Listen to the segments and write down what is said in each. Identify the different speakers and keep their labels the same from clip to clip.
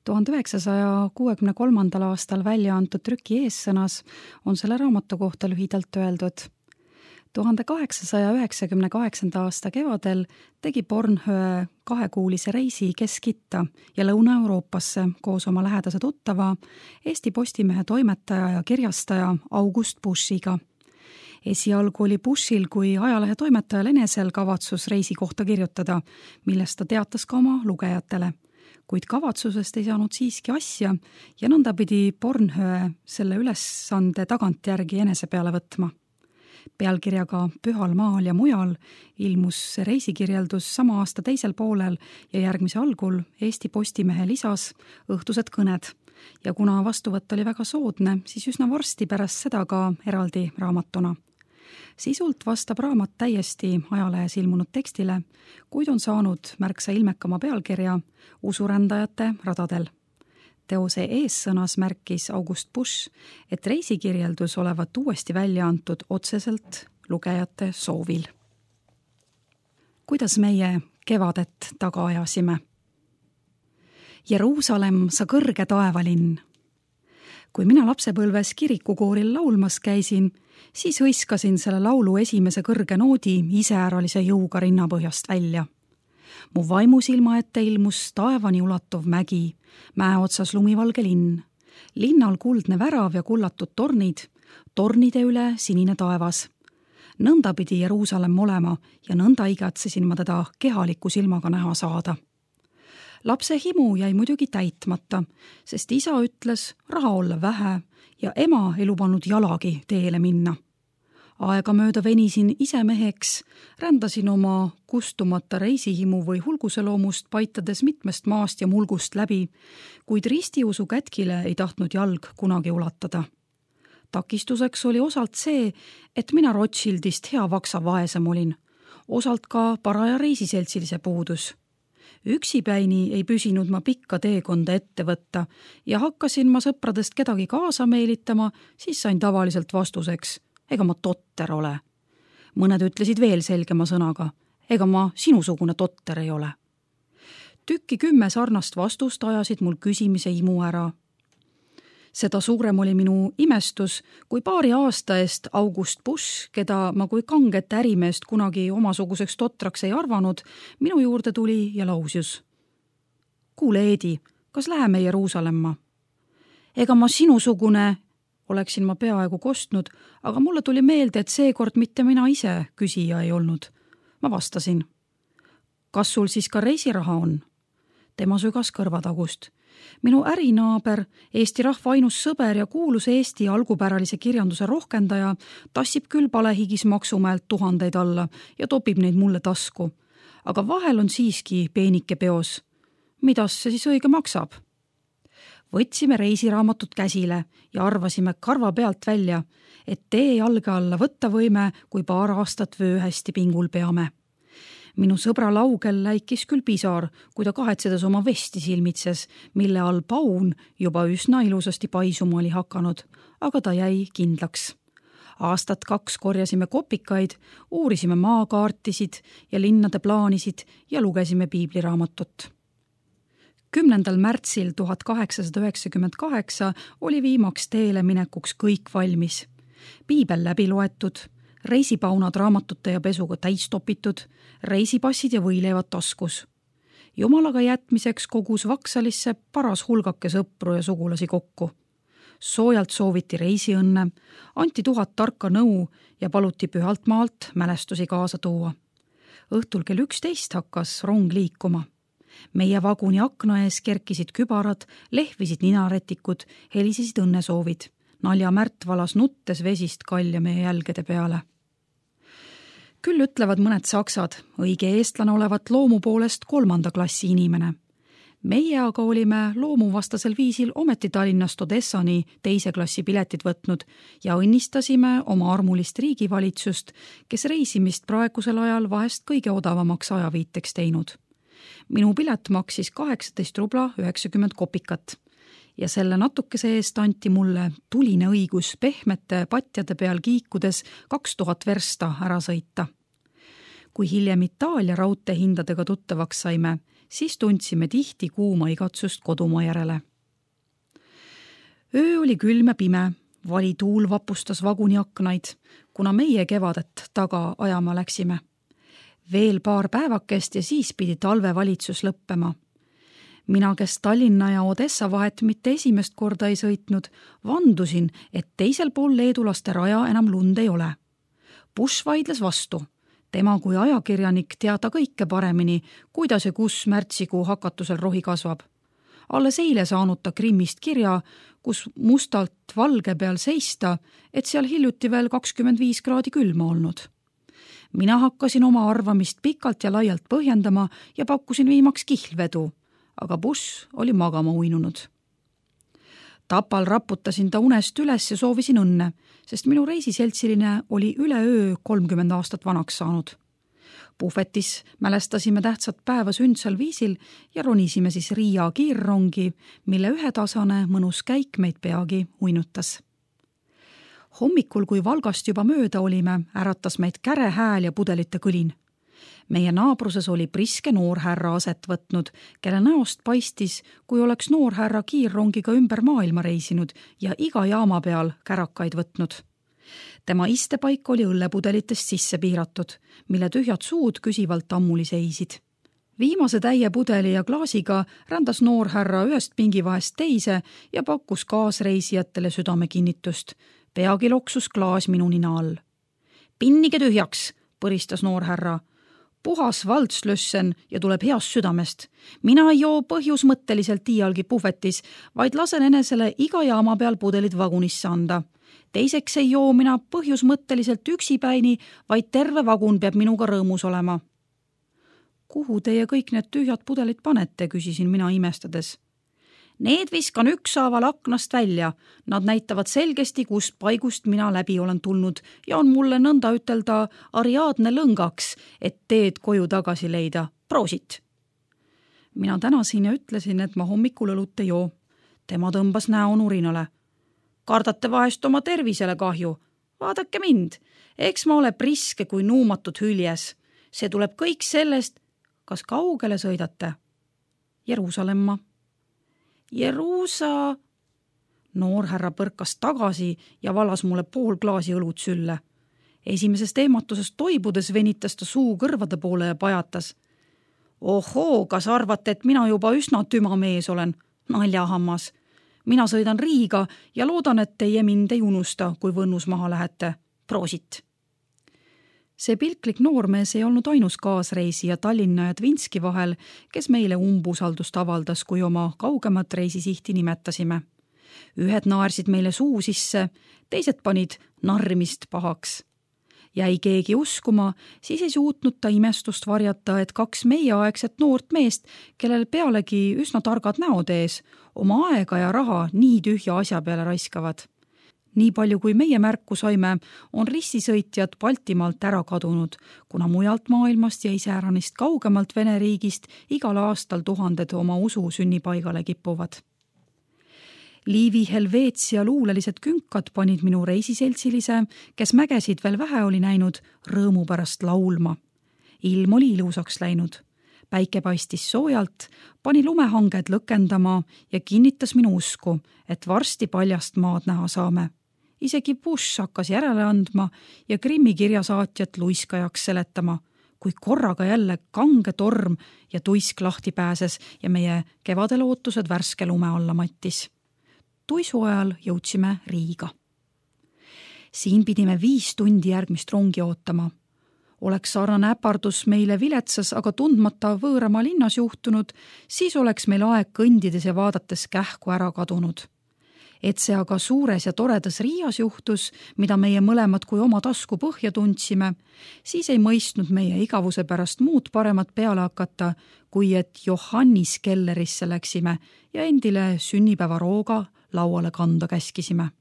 Speaker 1: 1963. aastal välja antud trüki eessõnas on selle raamatu kohta lühidalt öeldud. 1898. aasta kevadel tegi Bornhöhe 2-kuulise reisi Kesk-Itta ja Lõuna-Euroopasse koos oma lähedase tuttava, Eesti Postimehe toimetaja ja kirjastaja August Buschiga. Esialgu oli Buschil kui ajalehe toimetajal enesel kavatsus reisi kohta kirjutada, millest ta teatas ka oma lugejatele. Kuid kavatsusest ei saanud siiski asja ja nõnda pidi Bornhöhe selle ülesande tagantjärgi enese peale võtma. Pealkirjaga Pühal maal ja mujal ilmus see reisikirjeldus sama aasta teisel poolel ja järgmise algul Eesti Postimehe lisas õhtused kõned ja kuna vastuvõtt oli väga soodne, siis üsna varsti pärast seda ka eraldi raamatuna. Sisult vastab raamat täiesti ajalehes ilmunud tekstile, kuid on saanud märksa ilmekama pealkirja Usurändajate radadel. Teose eessõnas märkis August Busch, et reisikirjeldus olevat uuesti välja antud otseselt lugejate soovil. Kuidas meie kevadet taga ajasime? Jeruusalemm, sa kõrge taevalinn. Kui mina lapsepõlves kirikukooril laulmas käisin, siis hõiskasin selle laulu esimese kõrge noodi iseäralise jõuga rinnapõhjast välja. Mu vaimusilma ette ilmus taevani ulatuv mägi, mäe otsas lumivalge linn. Linnal kuldne värav ja kullatud tornid, tornide üle sinine taevas. Nõnda pidi Jeruusalemm olema ja nõnda igatsesin ma teda kehaliku silmaga näha saada. Lapse himu jäi muidugi täitmata, sest isa ütles raha olla vähe ja ema ei lubanud jalagi teele minna. Aega mööda venisin ise meheks, rändasin oma kustumata reisihimu või hulguseloomust paitades mitmest maast ja mulgust läbi, kuid ristiusu kätkile ei tahtnud jalg kunagi ulatada. Takistuseks oli osalt see, et mina Rothschildist hea vaksa vaesem olin, osalt ka paraja reisiseltsilise puudus. Üksipäini ei püsinud ma pikka teekonda ette võtta ja hakkasin ma sõpradest kedagi kaasa meelitama, siis sain tavaliselt vastuseks, ega ma totter ole. Mõned ütlesid veel selgema sõnaga, ega ma sinusugune totter ei ole. Tükki 10 sarnast vastust ajasid mul küsimise imu ära. Seda suurem oli minu imestus, kui paari aasta eest August Busch, keda ma kui kanget ärimeest kunagi omasuguseks totraks ei arvanud, minu juurde tuli ja lausius. Kuule, Eedi, kas läheme Jeruusalemma? Ega ma sinusugune, oleksin ma peaaegu kostnud, aga mulle tuli meelde, et seekord mitte mina ise küsija ei olnud. Ma vastasin. Kas sul siis ka reisiraha on? Tema sügas kõrvatagust. Minu ärinaaber, Eesti rahva ainus sõber ja kuulus Eesti algupäralise kirjanduse rohkendaja, tassib küll palehigis maksumäelt 1000 alla ja topib neid mulle tasku. Aga vahel on siiski peenike peos. Midas see siis õige maksab? Võtsime reisiraamatut käsile ja arvasime karva pealt välja, et tee jalge alla võtta võime, kui paar aastat vöö hästi pingul peame. Minu sõbra laugel läikis küll pisar, kui ta kahetsedes oma vesti silmitses, mille all paun juba üsna ilusasti paisuma oli hakanud, aga ta jäi kindlaks. Aastat 2 korjasime kopikaid, uurisime maakaartisid ja linnade plaanisid ja lugesime piibliraamatut. 10. märtsil 1898 oli viimaks teele minekuks kõik valmis. Piibel läbi loetud, reisipaunad raamatute ja pesuga täis topitud, reisipassid ja võileivad taskus. Jumalaga jätmiseks kogus Vaksalisse paras hulgake sõpru ja sugulasi kokku. Soojalt sooviti reisiõnne, anti 1000 tarka nõu ja paluti pühalt maalt mälestusi kaasa tuua. Õhtul kell 11 hakkas rong liikuma. Meie vaguni akna ees kerkisid kübarad, lehvisid ninarätikud, helisesid õnnesoovid. Naljamärt valas nuttes vesist kalja meie jälgede peale. Küll ütlevad mõned saksad, õige eestlane olevat loomu poolest 3. klassi inimene. Meie aga olime loomuvastasel viisil ometi Tallinnast Odessani 2. klassi piletid võtnud ja õnnistasime oma armulist riigivalitsust, kes reisimist praegusel ajal vahest kõige odavamaks ajaviiteks teinud. Minu pilet maksis 18 rubla 90 kopikat. Ja selle natukese eest anti mulle tuline õigus pehmete patjade peal kiikudes 2000 versta ära sõita. Kui hiljem Itaalia raudteehindadega tuttavaks saime, siis tundsime tihti kuuma igatsust kodumaa järele. Öö oli külm ja pime, vali tuul vapustas vaguni aknaid, kuna meie kevadet taga ajama läksime. Veel paar päevakest ja siis pidi talvevalitsus lõppema. Mina, kes Tallinna ja Odessa vahet mitte esimest korda ei sõitnud, vandusin, et teisel pool leedulaste raja enam lund ei ole. Bush vaidles vastu. Tema kui ajakirjanik teada kõike paremini, kuidas ja kus märtsikuu hakatusel rohi kasvab. Alles eile saanud ta Krimmist kirja, kus mustalt valge peal seista, et seal hiljuti veel 25 kraadi külma olnud. Mina hakkasin oma arvamist pikalt ja laialt põhjendama ja pakkusin viimaks kihlvedu, aga Bush oli magama uinunud. Tapal raputasin ta unest üles ja soovisin õnne, sest minu reisiseltsiline oli üleöö 30 aastat vanaks saanud. Puhvetis mälestasime tähtsat päeva sündsal viisil ja ronisime siis Riia kiirrongi, mille ühetasane mõnus käik meid peagi uinutas. Hommikul, kui Valgast juba mööda olime, äratas meid käre hääl ja pudelite kõlin. Meie naabruses oli priske noorhärra aset võtnud, kelle näost paistis, kui oleks noorhärra kiirrongiga ümber maailma reisinud ja iga jaama peal kärakaid võtnud. Tema istepaik oli õllepudelitest sisse piiratud, mille tühjad suud küsivalt ammuli seisid. Viimase täie pudeli ja klaasiga rändas noorhärra ühest pingivahest teise ja pakkus kaasreisijatele südamekinnitust. Peagi loksus klaas minu nina all. Pinnige tühjaks, põristas noorhärra. Puhas Waldslössen ja tuleb heast südamest. Mina ei joo põhjusmõtteliselt iialgi puhvetis, vaid lasen enesele iga jaama peal pudelid vagunisse anda. Teiseks ei joo mina põhjusmõtteliselt üksipäini, vaid terve vagun peab minuga rõõmus olema. Kuhu teie kõik need tühjad pudelid panete, küsisin mina imestades. Need viskan ükshaaval aknast välja. Nad näitavad selgesti, kust paigust mina läbi olen tulnud ja on mulle nõnda ütelda Ariadne lõngaks, et teed koju tagasi leida. Proosit! Mina tänasin ja ütlesin, et ma hommikul õlut ei joo. Tema tõmbas näo nurinale. Kardate vahest oma tervisele kahju. Vaadake mind. Eks ma ole priske kui nuumatud hüljes. See tuleb kõik sellest, kas kaugele sõidate? Jeruusalemma. Jeruusa. Noorhärra põrkas tagasi ja valas mulle pool klaasi õlut sülle. Esimesest eematusest toibudes venitas ta suu kõrvade poole ja pajatas. Ohoo, kas arvate, et mina juba üsna tüma mees olen? Naljahammas. Mina sõidan Riiga ja loodan, et teie mind ei unusta, kui Võnnus maha lähete. Proosit! See pilklik noormees ei olnud ainus kaasreisija Tallinna ja Tvinski vahel, kes meile umbusaldust avaldas, kui oma kaugemat reisisihti nimetasime. Ühed naersid meile suu sisse, teised panid narrimist pahaks. Jäi keegi uskuma, siis ei suutnud ta imestust varjata, et 2 meieaegset noort meest, kellel pealegi üsna targad näod ees, oma aega ja raha nii tühja asja peale raiskavad. Nii palju kui meie märku saime, on rissisõitjad Baltimaalt ära kadunud, kuna mujalt maailmast ja iseäranist kaugemalt Vene riigist igal aastal tuhanded oma usu sünnipaigale kipuvad. Liivi Helveetsia luulelised künkad panid minu reisiseltsilise, kes mägesid veel vähe oli näinud, rõõmu pärast laulma. Ilm oli ilusaks läinud. Päike paistis soojalt, pani lumehanged lõkendama ja kinnitas minu usku, et varsti paljast maad näha saame. Isegi Bush hakkas järele andma ja Krimmi kirjasaatjat luiskajaks seletama, kui korraga jälle kange torm ja tuisk lahti pääses ja meie kevadel ootused värske lume alla mattis. Tuisu ajal jõudsime Riiga. Siin pidime 5 tundi järgmist rongi ootama. Oleks sarnane äpardus meile viletsas, aga tundmata võõrama linnas juhtunud, siis oleks meil aeg kõndides ja vaadates kähku ära kadunud. Et see aga suures ja toredas Riias juhtus, mida meie mõlemad kui oma tasku põhja tundsime, siis ei mõistnud meie igavuse pärast muud paremat peale hakata, kui et Johannis kellerisse läksime ja endile sünnipäevarooga lauale kanda käskisime.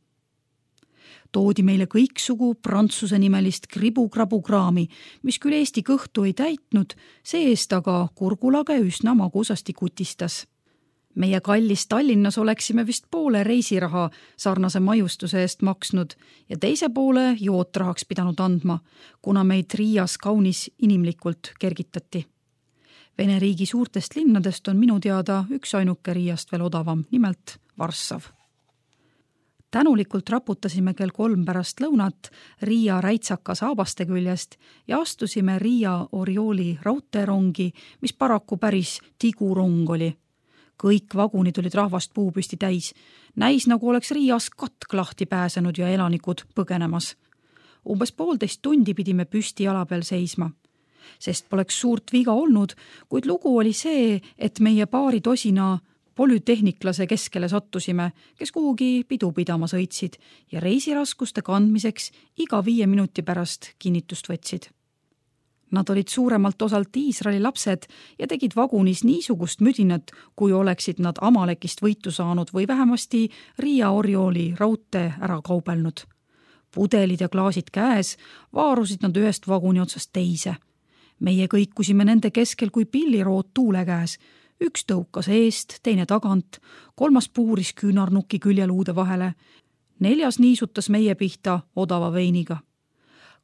Speaker 1: Toodi meile kõiksugu prantsuse nimelist kribu-krabu-kraami, mis küll Eesti kõhtu ei täitnud, see-eest aga kurgulage üsna magusasti kutistas. Meie kallis Tallinnas oleksime vist poole reisiraha sarnase maiustuse eest maksnud ja teise poole jootrahaks pidanud andma, kuna meid Riias kaunis inimlikult kergitati. Vene riigi suurtest linnadest on minu teada üks ainuke Riiast veel odavam, nimelt Varssav. Tänulikult raputasime kell 3 pärast lõunat Riia räitsaka saabaste küljest ja astusime Riia Oriooli raudteerongi, mis paraku päris tigurong oli. Kõik vagunid olid rahvast puupüsti täis. Näis, nagu oleks Riias katk lahti pääsenud ja elanikud põgenemas. Umbes 1,5 tundi pidime püsti jala peal seisma. Sest poleks suurt viga olnud, kuid lugu oli see, et meie paari tosina polütehniklase keskele sattusime, kes kuhugi pidu pidama sõitsid ja reisiraskuste kandmiseks iga 5 minuti pärast kinnitust võtsid. Nad olid suuremalt osalt Iisraeli lapsed ja tegid vagunis niisugust müdinat, kui oleksid nad Amalekist võitu saanud või vähemasti Riia Oriooli raudtee ära kaubelnud. Pudelid ja klaasid käes vaarusid nad ühest vaguni otsast teise. Meie kõikusime nende keskel kui pillirood tuule käes. Üks tõukas eest, teine tagant, 3. puuris küünarnuki küljeluude vahele, 4. niisutas meie pihta odava veiniga.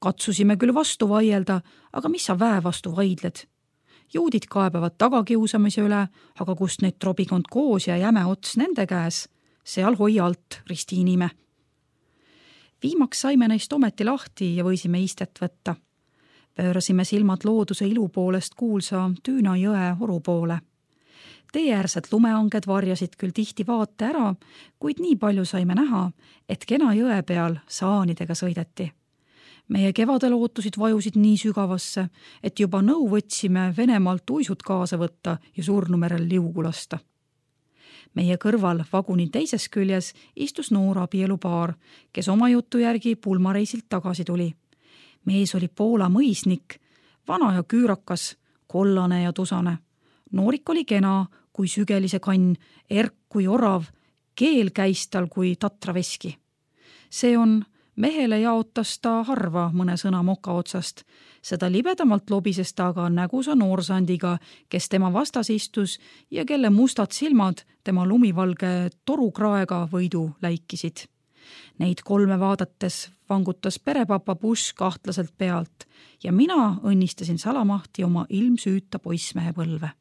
Speaker 1: Katsusime küll vastu vaielda, aga mis sa väe vastu vaidled? Juudid kaebavad tagakiusamise üle, aga kust neid trobikond koos ja jäme ots nende käes, seal hoia alt ristiinime. Viimaks saime neist ometi lahti ja võisime istet võtta. Pöörasime silmad looduse ilu poolest kuulsa Tüüna jõe oru poole. Teeäärsed lumeanged varjasid küll tihti vaate ära, kuid nii palju saime näha, et kena jõe peal saanidega sõideti. Meie kevadel ootusid vajusid nii sügavasse, et juba nõu võtsime Venemaalt uisud kaasa võtta ja Surnumerel liugu lasta. Meie kõrval vaguni teises küljes istus noor abielupaar, kes oma jutu järgi pulmareisilt tagasi tuli. Mees oli Poola mõisnik, vana ja küürakas, kollane ja tusane. Noorik oli kena kui sügelise kann, erk kui orav, keel käis tal kui tatraveski. See on, mehele jaotas ta harva mõne sõna moka otsast. Seda libedamalt lobises ta aga nägusa noorsandiga, kes tema vastas istus ja kelle mustad silmad tema lumivalge torukraega võidu läikisid. Neid 3 vaadates vangutas perepapa Bush kahtlaselt pealt ja mina õnnistasin salamahti oma ilmsüüta poissmehe põlve.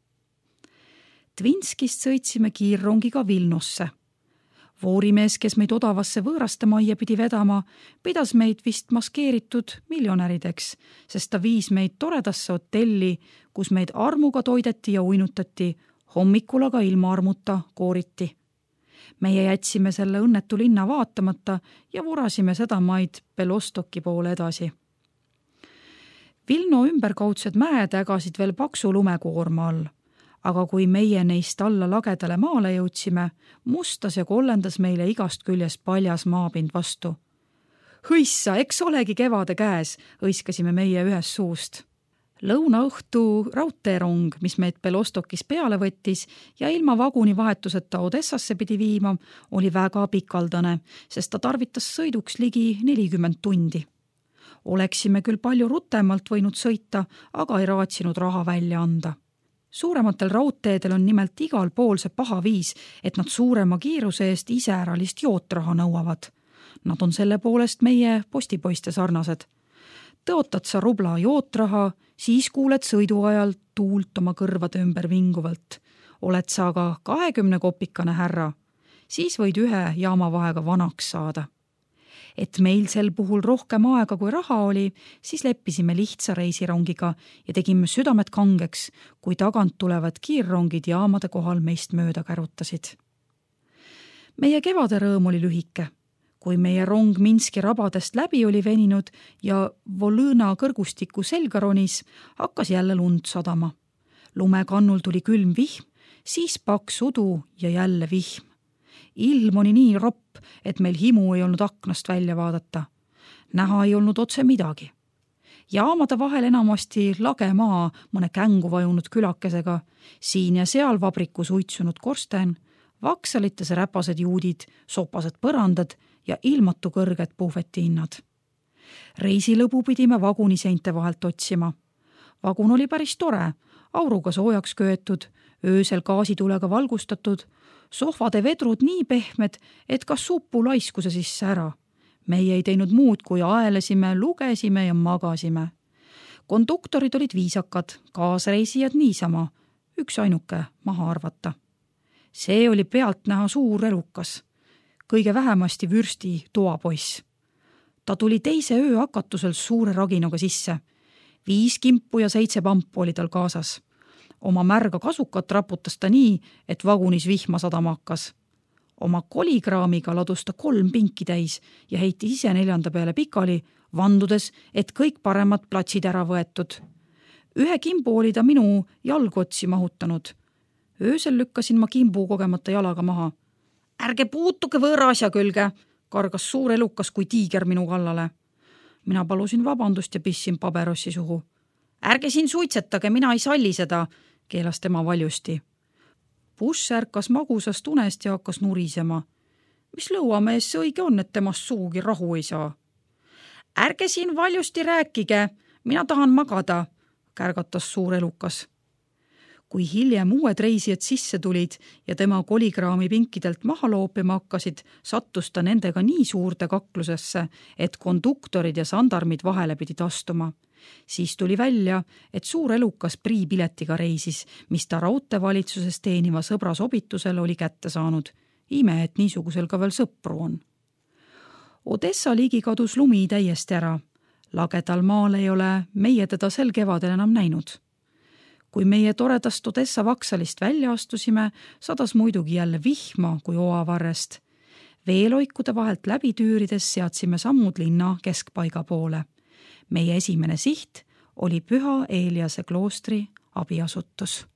Speaker 1: Tvinskist sõitsime kiirrongiga Vilnosse. Voorimees, kes meid odavasse võõraste majja pidi vedama, pidas meid vist maskeeritud miljonärideks, sest ta viis meid toredasse hotelli, kus meid armuga toideti ja uinutati, hommikul aga ilma armuta kooriti. Meie jätsime selle õnnetu linna vaatamata ja vurasime seda maid Belostoki poole edasi. Vilno ümberkaudsed mäed ägasid veel paksu lumekoorma all. Aga kui meie neist alla lagedale maale jõudsime, mustas ja kollendas meile igast küljest paljas maapind vastu. Hõissa, eks olegi kevade käes, hõiskasime meie ühes suust. Lõunaõhtu raudteerong, mis meid Belostokis peale võttis ja ilma vaguni vahetuseta Odessasse pidi viima, oli väga pikaldane, sest ta tarvitas sõiduks ligi 40 tundi. Oleksime küll palju rutemalt võinud sõita, aga ei raatsinud raha välja anda. Suurematel raudteedel on nimelt igal pool see paha viis, et nad suurema kiiruse eest iseäralist jootraha nõuavad. Nad on selle poolest meie postipoiste sarnased. Tõotad sa rubla jootraha, siis kuuled sõidu ajal tuult oma kõrvade ümber vinguvalt. Oled sa aga 20 kopikane härra, siis võid 1 jaamavahega vanaks saada. Et meil sel puhul rohkem aega kui raha oli, siis leppisime lihtsa reisirongiga ja tegime südamed kangeks, kui tagant tulevad kiirrongid jaamade kohal meist mööda kärutasid. Meie kevade rõõm oli lühike. Kui meie rong Minski rabadest läbi oli veninud ja Volõna kõrgustiku selga ronis, hakkas jälle lund sadama. Lumekannul tuli külm vihm, siis paks udu ja jälle vihm. Ilm oli nii ropp, et meil himu ei olnud aknast välja vaadata. Näha ei olnud otse midagi. Jaamade vahel enamasti lage maa mõne kängu vajunud külakesega, siin ja seal vabrikus uitsunud korsten, vaksalites räpased juudid, sopased põrandad ja ilmatu kõrged puhvetihinnad. Reisilõbu pidime vaguni seinte vahelt otsima. Vagun oli päris tore, auruga soojaks köetud, öösel gaasitulega valgustatud, sohvade vedrud nii pehmed, et kas suppu laiskuse sisse ära. Meie ei teinud muud, kui aelesime, lugesime ja magasime. Konduktorid olid viisakad, kaasreisijad niisama, üks ainuke maha arvata. See oli pealtnäha suur elukas, kõige vähemasti vürsti toapoiss. Ta tuli teise öö hakatusel suure raginaga sisse. 5 kimpu ja 7 pampu oli tal kaasas. Oma märga kasukat raputas ta nii, et vagunis vihma sadama hakkas. Oma kolikraamiga ladus ta 3 pinki täis ja heitis ise 4. peale pikali, vandudes, et kõik paremad platsid ära võetud. 1 kimbu oli ta minu jalgotsi mahutanud. Öösel lükkasin ma kimbu kogemata jalaga maha. Ärge puutuge võõra asja külge, kargas suur elukas kui tiiger minu kallale. Mina palusin vabandust ja pissin paberossi suhu. Ärge siin suitsetage, mina ei salli seda, keelas tema valjusti. Buss ärkas magusast unest ja hakkas nurisema. Mis lõuamees see õige on, et temast suugi rahu ei saa? Ärge siin valjusti rääkige, mina tahan magada, kärgatas suur elukas. Kui hiljem uued reisijad sisse tulid ja tema kolikraami pinkidelt maha loopima hakkasid, sattus ta nendega nii suurde kaklusesse, et konduktorid ja sandarmid vahele pidid astuma. Siis tuli välja, et suur elukas priipiletiga reisis, mis ta raudteevalitsuses teeniva sõbra sobitusel oli kätte saanud. Ime, et niisugusel ka veel sõpru on. Odessa ligi kadus lumi täiesti ära. Lagedal maal ei ole meie teda sel kevadel enam näinud. Kui meie toredast Odessa vaksalist välja astusime, sadas muidugi jälle vihma kui oavarrest. Veeloikude vahelt läbi tüürides seadsime sammud linna keskpaiga poole. Meie esimene siht oli Püha Eeliase kloostri abiasutus.